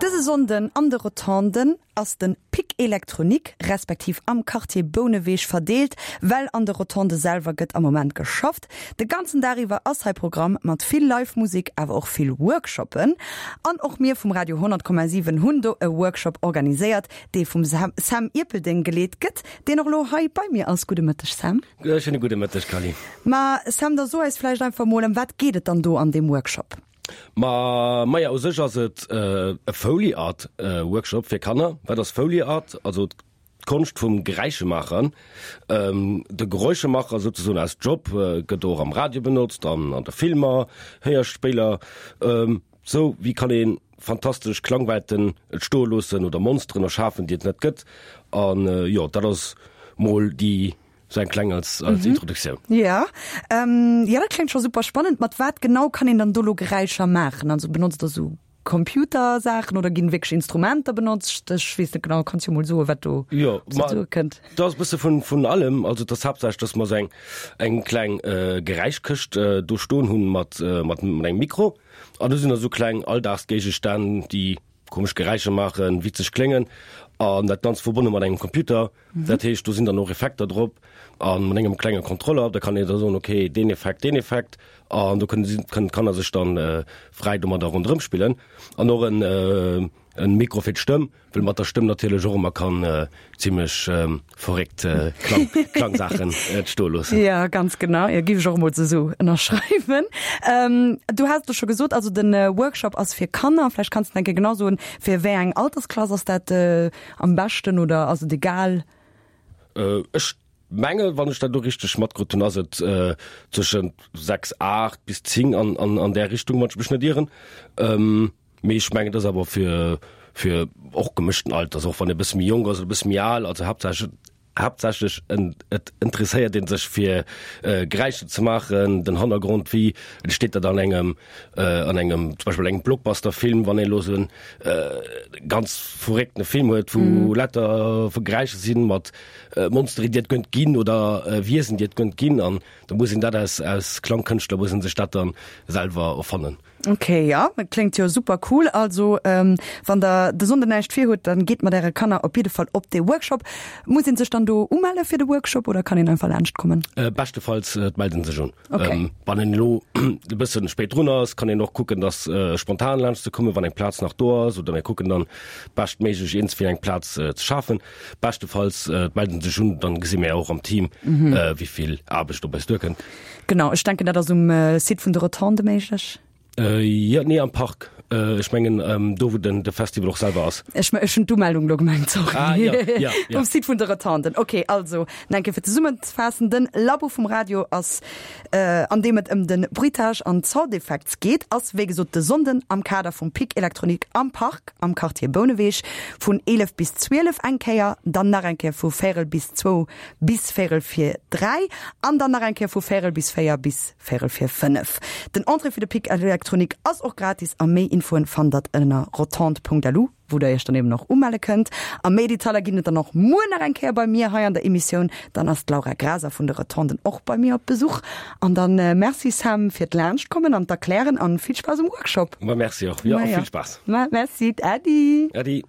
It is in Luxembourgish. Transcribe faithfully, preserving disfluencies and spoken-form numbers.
Dëse Sonnden an de Rotonden ass de Pic Électronique, respektiv am Quartier Bouneweg verdeelt, well an de Rotondë selwer gëtt am Moment geschafft. De ganzen Dag iwwer ass hei Programm mat vill Live-Musek, awer och vill Workshoppen. An och mir vum Radio honnert Komma siwen hunn do e Workshop organiséiert, dee vum Sam Ierpeldeng geleet gëtt, deen och elo hei bei mir ass. Gudde Mëtteg, Sam. Schéine gudde Mëtteg, Kally. Ma Sam, da so eis vläicht einfach mol, ëm wat geet et dann do an deem Workshop? Ma maja, u sech ass et e Foley Art Workshop fir Kanner. Wat ass Foley Art? Also d'Konscht vum Geräischemaachen. De Geräuschemacher souzesoen als Job gëtt och am Radio benotzt an an de Filmer, Héierspéiler. Sou wéi kann ee fantastesch Klangwelten entstoe loossen oder Monsteren erschafen, déi et net gëtt. An jo, dat ass mol déi Sou eng kleng als, als mhm. Introduktioun. Ja. Ähm, ja, dat klingt scho super spannend. Mat wat genau kann een dann do lo Geräischer maachen? Also benotzt der sou Computersaachen oder ginn wierklech Instrumenter benotzt? Ech weess net genau, kanns jo mol soen, wat do Jo, op se duerkënnt. Dat ass e bësse vun, vun allem. Also et ass haaptsächlech, dass mer sou eng, eng kleng äh, Geräischkëscht äh, do stoen hunn mat, äh, mat, mat engem Mikro. An do sinn da sou kleng Alldagsgéigestänn, déi komesch Geräischer maachen, witzeg kléngen an dat Ganzt verbonne mat engem Computer. Dat heescht, do sinn dann och Effekter drop a mat engem klenge Kontroller, da kann een da soen, okay, deen Effekt, deen Effekt an do kënnen si, kënnen d'Kanner sech dann fräi domadder ronderëm spillen. An och en en Mikro fir d'Stëmm, well mat der Stëmm natierlech och ëmmer kann zimlech verréckt Klang, Klangsaachen entstoe loossen. Ja, ganz genau. Jo, géif ech och emol esou ënnerschreiwen. Du has et scho gesot, also de Workshop ass fir Kanner. Vläicht kanns de nach eng Kéier genau soen, fir wéi eng Altersklass ass dat am beschten oder ass et egal? Ech mengen, wann ech dat elo richteg matkrut hunn, ass et zwëschent sechs, aacht bis zéng an, an, an där Richtung, wann ech mech net ieren. Mee ech mengen, et ass awer fir, fir och gemëschten Alters, och wann ee bësse méi jonk ass oder e bësse méi al, also haaptsächlech, haaptsächlech et interesséiert ee sech fir Geräischer ze maachen, den Hannergrond, wéi entsteet dat an engem, an engem zum Beispill engem Blockbuster-Film, wann een elo esou e ganz verréckte Film huet, wou lauter Geräischer sinn mat Monsteren, déi et gënnt ginn oder Wiesen, déi et gënnt ginn, an da muss een dat als, als Klangkënschtler muss een sech dat dann selwer erfannen. Ok, jo, dat kléngt jo super cool. Also wann der de Sonnden näischt vir hutt, dann geet mat äre Kanner op jidde Fall op dee Workshop. Muss een sech dann do umelle fir de Workshop oder kann een einfach laanscht kommen? Beschtefalls et mellt een sech un. Ok. Wann een elo e bëssen spéit drun ass, kann een och kucken, dass spontan laanscht ze kommen, wann eng Plaz nach do ass, oder mir kucken dann beschtméiglech iergendswéi eng Plaz ze schafen. Beschtefalls et mellt een sech un, dann gesi mir och am Team, wéi vill Aarbecht op eis duerkënnt. Genau, ech denken dat ass um Site vun de Rotonde méiglech. Jo, nee, am Park. Ech mengen do wou den de Festival och selwer ass. Ech ech hunn d'Umeldung elo gemengt, sorry. Ah, ja, ja, ja. Um Site vun de Rotonden. Ok, also nach eng Kéier fir zesummenzefassen, Den Labo vum Radio ass, an deem et ëm de Bruitage an d'Soundeffects geet, ass wéi gesot de Sonnden am Kader vum Pic Electronique am Park am Quartier Bouneweg vun eelef bis zwielef eng Kéier, dann nach eng Kéier vu véierel bis zwou bis véierel vir dräi an dann nach eng Kéier vu véierel bis véier bis véierel vir fënnef. Den Entrée fir de Pic Electronique ass och gratis a méi Infoen fannt der ënner rotonde.lu, wou der iech dann eben och umelle kënnt. A méi Detailer ginn et dann och muer nach eng Kéier bei mir hei an der Emissioun. Dann ass d'Laura Graser vun de Rotonden och bei mir op Besuch. An dann Merci Sam fir d'Laanschtkommen an d'Erklären an vill Spaass um Workshop. Ma merci och, jo, a vill Spaass. Ma merci, Äddi. Äddi.